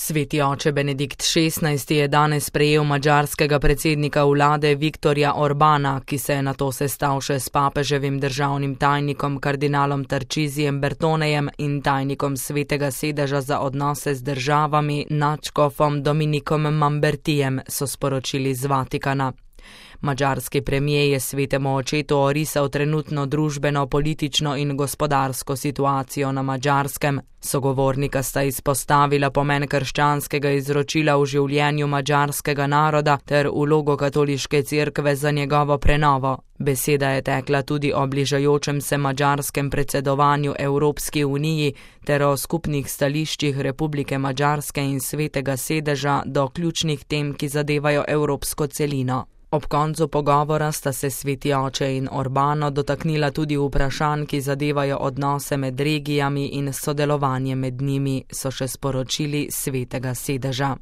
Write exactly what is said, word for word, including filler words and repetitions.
Sveti oče Benedikt šestnajsti je danes sprejel madžarskega predsednika vlade Viktorja Orbana, ki se je nato sestal še s papeževim državnim tajnikom kardinalom Tarcisijem Bertonejem in tajnikom Svetega sedeža za odnose z državami nadškofom Dominikom Mambertijem, so sporočili z Vatikana. Madžarski premijer je svetemu očetu orisal trenutno družbeno, politično in gospodarsko situacijo na Madžarskem. Sogovornika sta izpostavila pomen krščanskega izročila v življenju madžarskega naroda ter vlogo katoliške cerkve za njegovo prenovo. Beseda je tekla tudi o bližajočem se madžarskem predsedovanju Evropski uniji ter o skupnih stališčih Republike Madžarske in Svetega sedeža do ključnih tem, ki zadevajo evropsko celino. Ob koncu pogovora sta se sveti oče in Orbano dotaknila tudi vprašanj, ki zadevajo odnose med regijami in sodelovanje med njimi, so še sporočili Svetega sedeža.